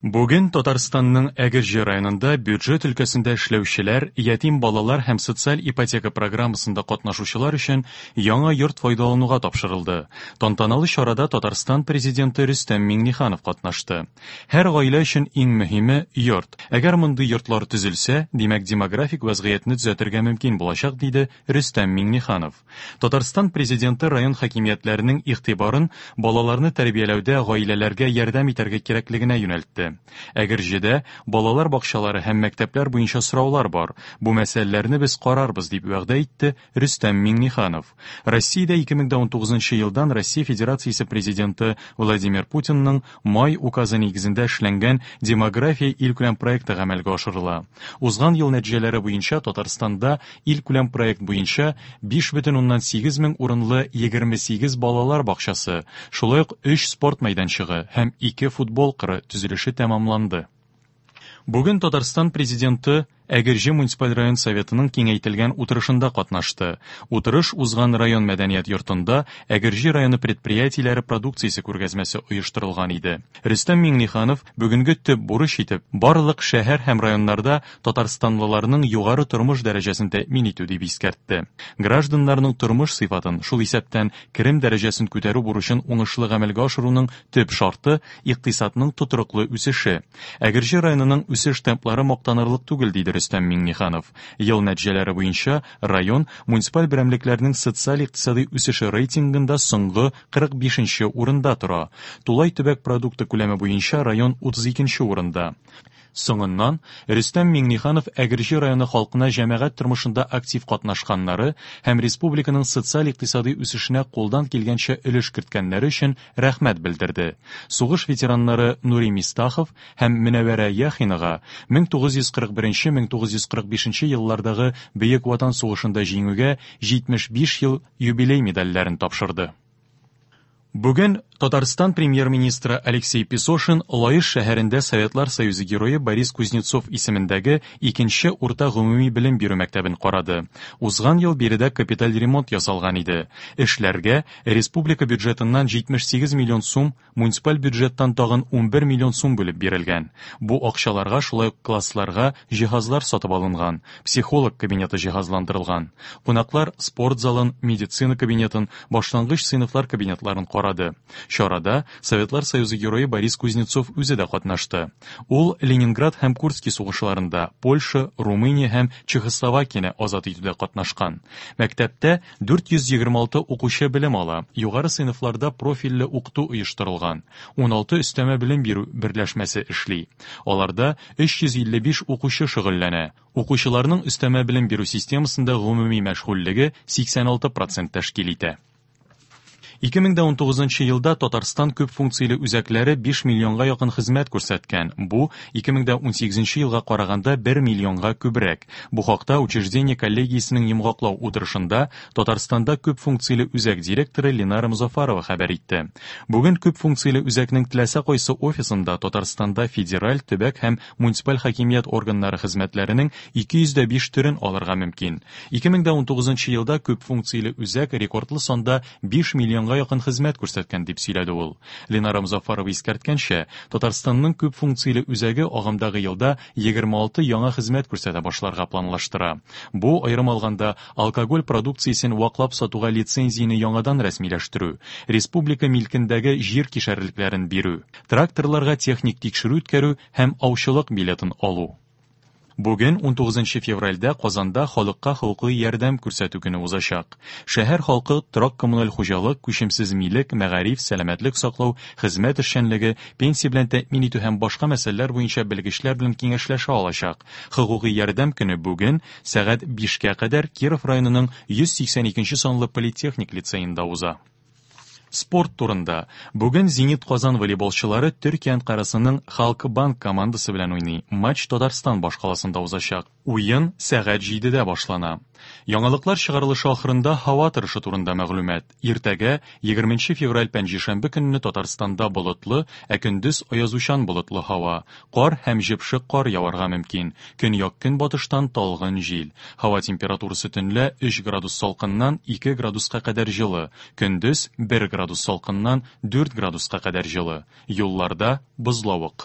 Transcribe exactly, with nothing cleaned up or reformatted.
Бүген Татарстанның Әгерҗе районында бюджет өлкәсендә эшләүчеләр, ятим балалар һәм социаль ипотека программасында катнашучылар өчен яңа йорт файдалануга тапшырылды. Тантаналы чарада Татарстан Президенты Рөстәм Миңнеханов катнашты. Һәр гаилә өчен иң мөһиме йорт. Әгәр мондый йортлар төзелсә, димәк, демографик вәзгыятьне төзәтергә мөмкин булачак, диде Рөстәм Миңнеханов. Татарстан Президенты район хакимиятләренең игътибарын балаларны тәрбияләүдә гаиләләргә ярдәм итәргә кирәклегенә юнәлтте. Әгерҗедә балалар бакчалары һәм мәктәпләр буенча сораулар бар. Бу мәсьәләләрне без карарбыз, дип вәгъдә итте Рөстәм Миңнеханов. Россиядә ике мең унтугызынчы елдан Россия Федерациясе Президенты Владимир Путинның май указы нигезендә эшләнгән демография илкүләм проекты гамәлгә ашырыла. Узган ел нәтиҗәләре буенча Татарстанда илкүләм проект буенча биш бөтен уннан сигез мең урынлы егерме сигез балалар бакчасы, шулай ук өч спорт мәйданчыгы һәм ике футбол кыры төзелеше тәмамланды. Бүген Татарстан Президенты Әгерҗе муниципаль район советының киңәйтелгән утырышында катнашты. Утырыш узган район мәдәният йортында Әгерҗе районы предприятиеләре продукциясе күргәзмәсе оештырылган иде. Рөстәм Миңнеханов бүгенге төп бурыч итеп барлык шәһәр һәм районнарда татарстанлыларның югары тормыш дәрәҗәсен тәэмин итү дип искәртте. Гражданнарның тормыш сыйфатын, шул исәптән керем дәрәҗәсен күтәрү бурычын уңышлы гамәлгә ашыруның төп шарты икътисадның тотрыклы үсеше. Әгерҗе районының үсеш темплары мактанырлык түгел, диде Рөстәм Миңнеханов. Ел нәтиҗәләре буенча район муниципаль берәмлекләрнең социаль-икътисади үсеше рейтингында соңгы кырык бишенче урында тора. Тулай төбәк продукты күләме буенча район утыз икенче урында. Соңыннан Рөстәм Миңнеханов Әгерҗе районы халкына җәмәгать тормышында актив катнашканнары һәм республиканың социаль-икътисади үсешенә кулдан килгәнчә өлеш керткәннәре өчен рәхмәт белдерде. Сугыш ветераннары Нури Мистахов һәм Мөнәвәрә Яхинага мең тугыз йөз кырык беренче мең тугыз йөз кырык бишенче еллардагы Бөек Ватан сугышында җиңүгә җитмеш биш ел юбилей медальләрен тапшырды. Бүген Татарстан премьер-министры Алексей Песошин Лаеш шәһәрендә Советлар Союзы герое Борис Кузнецов исемендәге икенче урта гомуми белем бирү мәктәбен карады. Узган ел биредә капиталь ремонт ясалган иде. Эшләргә республика бюджетыннан җитмеш сигез миллион сум, муниципаль бюджеттан тагын унбер миллион сум бүлеп бирелгән. Бу акчаларга шулай ук классларга җиһазлар сатып алынган, психолог кабинеты җиһазландырылган. Кунаклар спорт залын, медицина кабинетын, башлангыч сыйныфлар кабинетларын карады. Чарада Советлар Союзы герое Борис Кузнецов үзе дә катнашты. Ул Ленинград һәм Курский сугышларында Польша, Румыния һәм Чехословакияне азат итүдә катнашкан. Мәктәптә дүрт йөз егерме алты укучы белем ала. Югары сыйныфларда профильле укыту оештырылган. Уналты өстәмә белем бирү берләшмәсе эшли. Аларда өч йөз илле биш укучы шөгыльләнә. Укучыларның өстәмә белем бирү системасында гомуми мәшгульлеге сиксән алты процент тәшкил итә. Ике мең дә унтугызынчы елда Татарстан күп функцияле үзәкләре биш миллионга якын хезмәт күрсәткән. Бу ике мең дә унсигезенче елга караганда бер миллионга күбрәк. Бу хакта учреждение коллегиясенең йомгаклау утырышында Татарстанда күп функцияле үзәк директоры Ленара Музафарова хәбәр итте. Бүген күп функцияле үзәкнең теләсә кайсы офисында Татарстанда федераль, төбәк һәм муниципаль хакимият органнары хезмәтләренең ике йөз дә биш төрен алырга мөмкин. Ике мең дә унтугызынчы елда күп функцияле үзәк рекордлы санда биш миллионга якын хезмәт күрсәткән, дип сөйләде ул. Ленара Музафарова искәрткәнчә, Татарстанның күп функцияле үзәге агымдагы елда егерме алты яңа хезмәт күрсәтә башларга планлаштыра. Бу, аерым алганда, алкоголь продукциясен ваклап сатуга лицензияне яңадан рәсмиләштерү, республика милкендәге җир кишәрлекләрен бирү, тракторларга техник тикшерү үткәрү һәм аучылык билетын алу. Бүген унтугызынчы февральдә Казанда халыкка хокукый ярдәм күрсәтү көне узачак. Шәһәр халкы торак коммуналь хуҗалык, күчемсез милек, мәгариф, сәламәтлек саклау, хезмәт эшчәнлеге, пенсия белән тәэмин итү һәм башка мәсьәләләр буенча белгечләр белән киңәшләшә алачак. Хокукый ярдәм көне бүген сәгать бишкә кадәр Киров районының йөз сиксән икенче санлы политехник лицеенда уза. Спорт турында. Бүген Зенит Казан волейболчылары Төркия Анкарасының Халкбанк командасы белән уйный. Матч Татарстан башкаласында узачак. Уен сәгать җидедә башлана. Яңалыклар чыгарылышы ахырында һава торышы турында мәгълүмат. Иртәгә егерменче февраль пәнҗешәмбе көнне Татарстанда болытлы, ә көндез аязучан болытлы һава. Кар һәм җепшек кар яварга мөмкин. Көньяк-көнбатыштан талгын җил. Һава температурасы төнлә өч градус салкыннан ике градуска кадәр җылы, көндез бер градус салкыннан дүрт градуска кадәр җылы. Юлларда бозлавык.